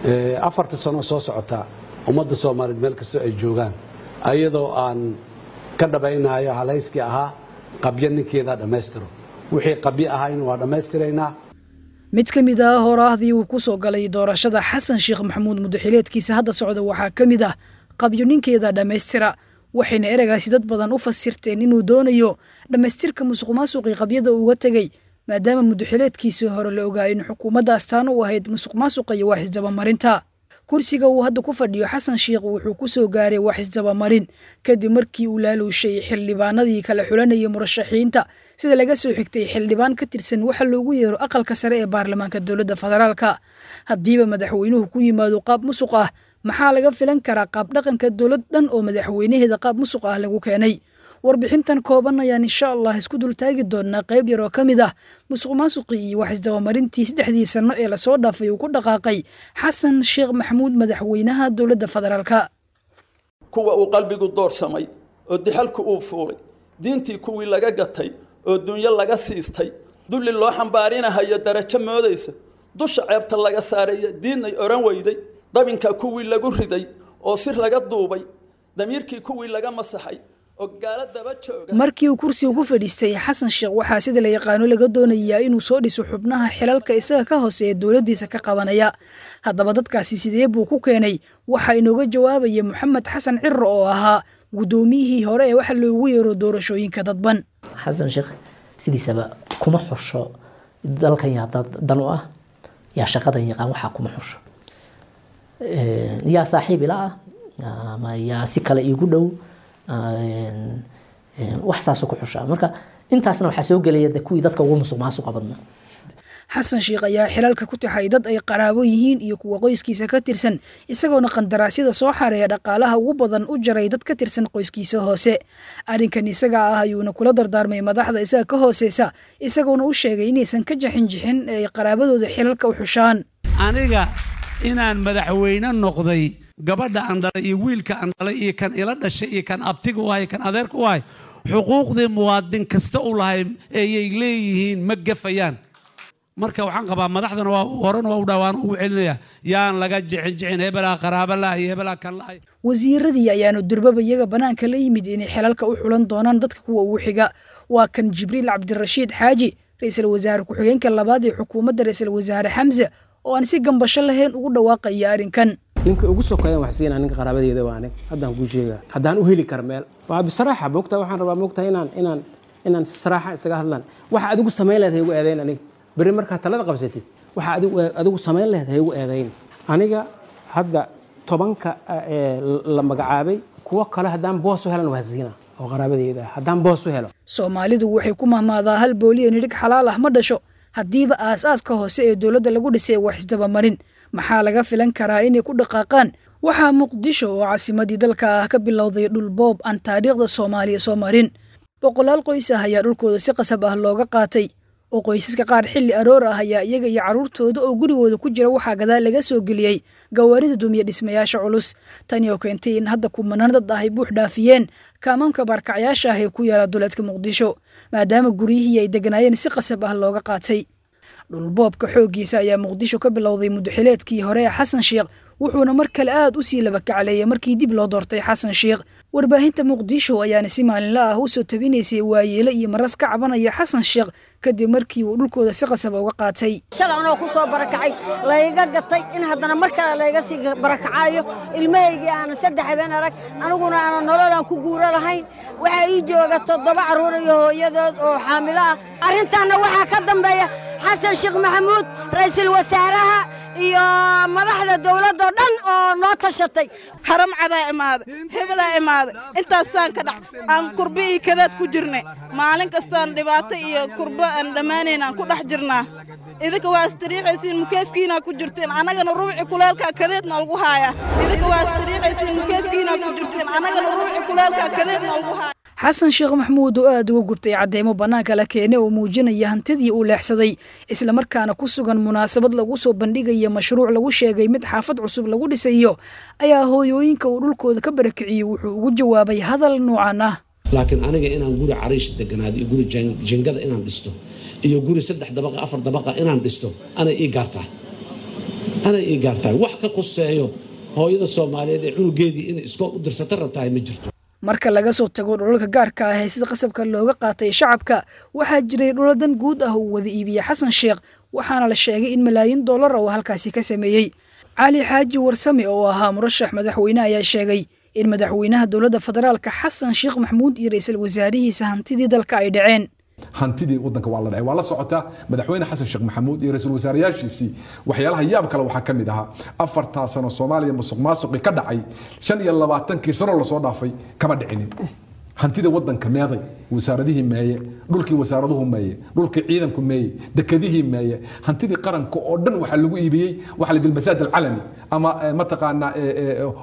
4ta sano soo socota ummadda Soomaaliyeed meel kastoo ay joogaan, ayadoo aan ka dhabaynayo halayskii ahaa qabyo ninkeeda dhammaystiro, wixii qabyo ahayn waa dhammaystiraynaa. Mid ka mid ah horaahdii uu ku soo galay doorashada Xasan Sheekh Maxamuud mudaxileedkiisa hadda socda waxaa ka mid ah qabyo ninkeeda dhammaystira, waxayna ereygaasi dad badan u fasirteen inuu doonayo dhammaystirka musuqmaasuqii qabyada uga tegey, maadaama mudaxileedkiisii hore la ogaa in xukuumadda astaan u ahayd musuqmaasuqa iyo wax isdabamarinta. Kursiga uu hadda ku fadhiyo Xasan Sheekh wuxuu ku soo gaaray wax isdabamarin kadib markii uu laaluushay xildhibaanadii kala xulanayay murashaxiinta, sida laga soo xigtay xildhibaan ka tirsan waxa loogu yeero aqalka sare ee baarlamaanka dowladda federaalka. Haddiiba madaxweynuhu ku yimaado qaab musuq ah, maxaa laga filan karaa qaab dhaqanka dowlad dhan oo madaxweynaheeda qaab musuq ah lagu keenay? Warbixintan kooban ayaan insha Allah isku dultaagi doonaa qayb yar oo ka mid ah musuqmaasuqii iyo wax isdabamarintii 3dii sano ee lasoo dhaafay uu ku dhaqaaqay Xasan Sheekh Maxamuud, madaxweynaha dowladda federaalka. Kuwa uu qalbigu doorsamay oo dixalku uu fuulay, diintii kuwii laga gatay oo dunyo laga siistay, dulli loo xambaarinahayo darajo moodaysa, dusha ceebta laga saaraya diidnay odhan weyday, dabinka kuwii lagu riday oo sir laga duubay, damiirkii kuwii laga masaxay. Markii uu kursiga ku fadhiistay Xasan Sheekh, waxaa sida la yaqaano laga doonayaa inuu soo dhiso xubnaha xilalka isaga ka hooseeya dowladdiisa ka qabanaya. Haddaba dadkaasi sidee buu ku keenay? Waxaa inooga jawaabaya Moxamed Xasan Ciro oo ahaa guddoomiyihii hore ee waxa loogu yeero doorashooyinka dadban. Xasan Sheekh sidiisaba kuma xusho dalkan yaa dan u ah, yaa shaqadan yaqaan, waxaa kuma xusho yaa saaxiib ila ah ama yaa si kale iigu dhow, wax saasoo ku xushaa. Marka intaasna waxaa soo gelaya de kuwii dadka ugu musuq maasuqa badnaa. Xasan Sheekh ayaa xilalka ku taxay dad ay qaraabo yihiin iyo kuwa qoyskiisa ka tirsan, isagoona qandaraasyada soo xareeya dhaqaalaha ugu badan u jaray dad ka tirsan qoyskiisa hoose. Arrinkan isaga ah ayuuna kula dardaarmay madaxda isaga ka hooseysa, isagoona u sheegay inaysan ka jaxin jixin ee ay qaraabadooda xilalka u xushaan. Aniga inaan madaxweyne noqday, gabadha aan dhalay iyo wiilka aan dhalay iyo kan ila dhashay iyo kan abtiga u ahay, kan adeerka u ahay, xuquuqdii muwaadin kasta u lahay ayay leeyihiin, ma gafayaan. Marka waxaan qabaa madaxdana waa horena waa u dhaawaan ugu celinaya, yaan laga jixin jixin hebelaa qaraaba laha iyo hebelaa kan lahay. Wasiiradii ayaanu durbaba iyaga bannaanka la yimid inay xilalka u xulan doonaan dadka kuwa ugu xiga. Waa kan Jibriil Cabdirashiid Xaaji, ra-iisul wasaare ku-xigeenka labaad ee xukuumadda ra-iisul wasaare Xamse, oo aan si gambasho lahayn ugu dhawaaqaya arrinkan. Ninka ugu sokeeyan wax siinaa ninka qaraabadeeda waa aniga. Haddaan kuu sheegaa, haddaan u heli kara meel waa bisraaxa moogtaa, waxaan rabaa moogtaa inaan inaan inaan si saraaxa isaga hadlaan. Waxa adigu samayn lahayd ha igu eedayn aniga berri markaa talada qabsatid. Waxa adigu samayn lahayd ha igu eedayn aniga. Hadda 10ka la magacaabay, kuwo kale haddaan boos u helan waa siina oo qaraabadeeda ah haddaan boos u helo. Soomaalidu waxay ku mahmaadaa hal booliya nidhig xalaal ah ma dhasho. Haddiiba aas-aaska hoose ee dowladda lagu dhisay wax isdabamarin, maxaa laga filan karaa inay ku dhaqaaqaan? Waxaa Muqdisho oo caasimadii dalka ah ka bilowday dhulboob aan taariikhda Soomaaliya soo marin. Boqolaal qoys ah ayaa dhulkooda si qasab ah looga qaatay, oo qoysaska qaar xilli aroor ah ayaa iyaga iyo carruurtooda oo gurigooda ku jira waxaa gadaal laga soo geliyey gawaarida dumiya dhismayaasha culus. Tani oo keentay in hadda kumanaan dad ah ay buux dhaafiyeen kaamaamka baarkacyaasha ah ee ku yaala duleedka Muqdisho, maadaama guryihii ay deganaayeen si qasab ah looga qaatay. Dhulboobka xooggiisa ayaa Muqdisho ka bilowday mudaxileedkii hore ee Xasan Sheekh, wuxuuna mar kale aad u sii laba kacleeyay markii dib loo doortay Xasan Sheekh. Warbaahinta Muqdisho ayaana si maalinla ah u soo tabinaysay waayeelo iyo maras ka cabanaya Xasan Sheekh kadib markii uu dhulkooda si qasaba uga qaatay. Shalay anoo ku soo barakacay layga gatay, in haddana mar kale layga sii barakacayo, ilmahaygii aanan 3 habeen arag, aniguna aanan nolol aan ku guuro lahayn. Waxaa ii jooga 7 carruur iyo hooyadood oo xaamilo ah. Arrintaanna waxaa ka dambeeya Xasan Sheekh Maxamuud, ra'iisul wasaaraha iyo madaxda dowladoo dhan oo noo tashatay. Haram cadaa imaaday, hebelaa imaaday, intaasaan ka dhac aan kurbe iyo kadaad ku jirnay. Maalin kastaan dhibaato iyo kurbo aan dhammaanayn aan ku dhex jirnaa. Idinka waa istariixaysiin, mukeefkiinaa ku jirteen, annagana ruuci kuleelkaa kadeedna lagu haayaa. Idinka waa istariixaysiin, mukeefkiinaa ku jirteen, annagana ruuci kuleelkaa kadeedna lagu haaya. Xasan Sheekh Maxamuud oo aad uga gubtay cadeymo bannaanka la keenay oo muujinaya hantidii uu leexsaday, islamarkaana ku sugan munaasabad lagu soo bandhigaya mashruuc lagu sheegay mid xaafad cusub lagu dhisayo, ayaa hooyooyinka uu dhulkooda ka barakiciyey wuxuu ugu jawaabay hadal noocan ah: Laakiin aniga inaan guri cariish deganaado iyo guri jingada inaan dhisto iyo guri 3 dabaqa 4 dabaqa inaan dhisto anay ii gaartaa. Anay ii gaartahay wax ka quseeyo hooyada Soomaaliyeed ee cunugeedii inay iskool u dirsata rabtahay ma jirto. Marka laga soo tago dhulalka gaarka ah ee sida qasabka looga qaatay shacabka, waxaa jiray dhuladan guud ah uu wada iibiyey Xasan Sheekh, waxaana la sheegay in malaayiin dollar oo halkaasi ka sameeyey. Cali Xaaji Warsame oo ahaa murashax madaxweyne ayaa sheegay in madaxweynaha dowladda federaalka Xasan Sheekh Maxamuud iyo ra'iisul wasaarihiisa hantidii dalka ay dhaceen. Hantidii wadanka waa la dhacay, waa la socotaa. Madaxweyne Xasan Sheekh Maxamuud iyo ra'iisul wasaarayaashiisii waxyaalaha yaab kale waxaa ka mid ahaa 4 sano Soomaaliya musuq maasuqii ka dhacay 25kii sano lasoo dhaafay kama dhicinin. Hantida wadanka meeday, wasaaradihii meeye, dhulkii wasaaraduhu meeye, dhulkii ciidanku meeye, dekadihii meeye, hantidii qaranka oo dhan waxaa lagu iibiyey waxa la bilmasaad alcalani ama mataqaanaa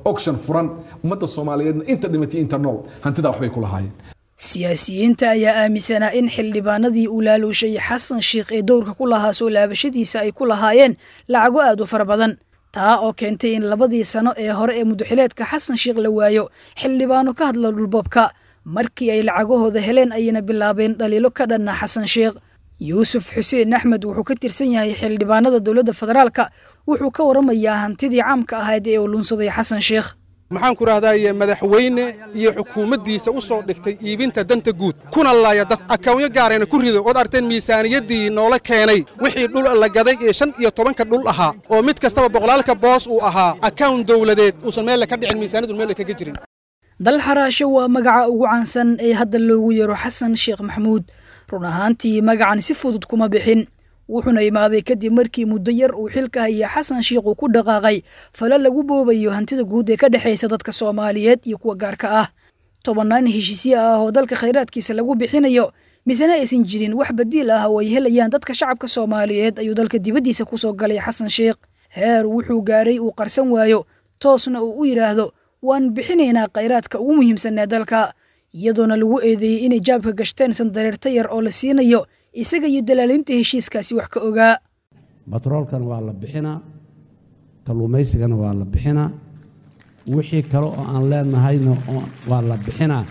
auction furan. Ummadda Soomaaliyeedna inta dhimatay inta nool hantida waxbay ku lahaayeen. Siyaasiyiinta ayaa aaminsanaa in xildhibaanadii uu laaluushay Xasan Sheekh ee dowrka ku lahaa soo laabashadiisa ay ku lahaayeen lacago aad u fara badan, taa oo keentay in 2dii sano ee hore ee mudaxileedka Xasan Sheekh la waayo xildhibaano ka hadla dhulboobka. Markii ay lacagahooda heleen ayayna bilaabeen dhaliilo ka dhanna Xasan Sheekh. Yuusuf Xuseen Axmed wuxuu ka tirsan yahay xildhibaanada dowladda federaalka, wuxuu ka waramayaa hantidii caamka ahayd ee uu lunsaday Xasan Sheekh. Maxaan ku rahdaye madaxweyne iyo xukuumaddiisa u soo dhigtay iibinta danta guud kuna laaya dad akawnyo gaarayna ku rido ood arteen miisaaniyaddii noola keenay wixii dhul la gaday ee 15ka dhul ahaa oo mid kastaba boqolaalka boos uu ahaa akawn dawladeed uusan meel ka dhicin, miisaaniyadu meel kaga jirin. Dal xaraasho waa magaca ugu caansan ee hadda loogu yeero Xasan Sheekh Maxamuud. Run ahaantii magacan si fudud kuma bixin, wuxuuna imaaday kadib markii muddo yar uu xilka hayay Xasan Sheekh uu ku dhaqaaqay fala lagu boobayo hantida guud ee ka dhexaysa dadka Soomaaliyeed iyo kuwa gaarka ah. 10 heshiisyo ah oo dalka khayraadkiisa lagu bixinayo misena aysan jirin wax badiil ah oo ay helayaan dadka shacabka Soomaaliyeed ayuu dalka dibaddiisa ku soo galay Xasan Sheekh. Heer wuxuu gaaray uu qarsan waayo, toosna uu u yidhaahdo waan bixinaynaa khayraadka ugu muhiimsan ee dalka, iyadoona lagu eedeeyey inay jaabka gashteen sandareerta yar oo la siinayo isaga iyo dalaalinta heshiiskaasi wax ka ogaa. Batroolkan waa la bixinaa, kalluumaysigana waa la bixinaa, wixii kale oo aan leenahayna waa la bixinaa.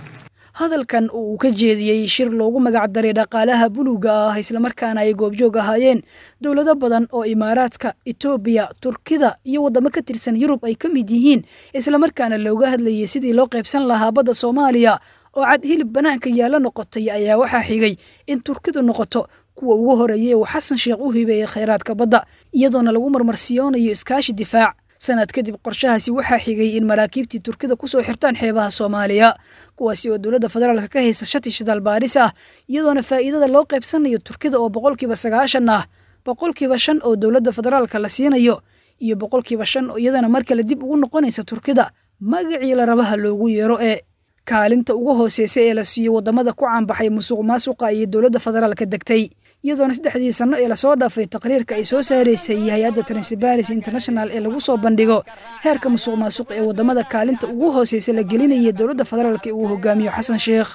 Hadalkan oo uu ka jeediyey shir loogu magac daray dhaqaalaha buluuga ah islamarkaana ay goobjoog ahaayeen dowlado badan oo Imaaraadka, Itoobiya, Turkida iyo waddamo ka tirsan Yurub ay ka mid yihiin, islamarkaana looga hadlayay sidii loo qaybsan lahaa badda Soomaaliya oo cad hilib banaanka yaala noqotay, ayaa waxaa xigay in Turkidu noqoto kuwa ugu horeeyay uu Xasan Sheekh u hibeeyey khayraadka badda, iyadoona lagu marmarsiyoonayo iskaashi difaac. Sanad kadib qorshahaasi waxaa xigay in maraakiibtii Turkida ku soo xirtaan xeebaha Soomaaliya, kuwaasi oo dowladda federaalka ka haysa shati shidaal baaris ah, iyadoona faa'iidada loo qaybsanayo Turkida oo 90% ah, 5% oo dowladda federaalka la siinayo iyo 5% oo iyadana mar kale dib ugu noqonaysa Turkida magacii la rabaha loogu yeero. Ee kaalinta ugu hooseysa ee la siiyo waddamada ku caanbaxay musuq maasuqa iyo dowladda federaalka degtay, iyadoona 3dii sano ee lasoo dhaafay taqriirka ay soo saaraysay hay-adda Transparency International ee lagu soo bandhigo heerka musuq maasuq ee waddamada kaalinta ugu hooseysa la gelinaya dowladda federaalka ee uu hogaamiyo Xasan Sheekh.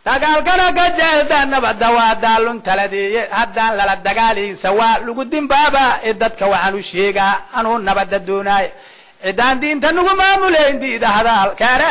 Dagaalkana ka jecelta nabadda waa daalun taladeeye, haddaan lala dagaaliinsa waa lagu dimbaaba. Ee dadka waxaan u sheegaa anuu nabadda doonaaya, ciddaan diinta nugu maamulayn diida hadalkana.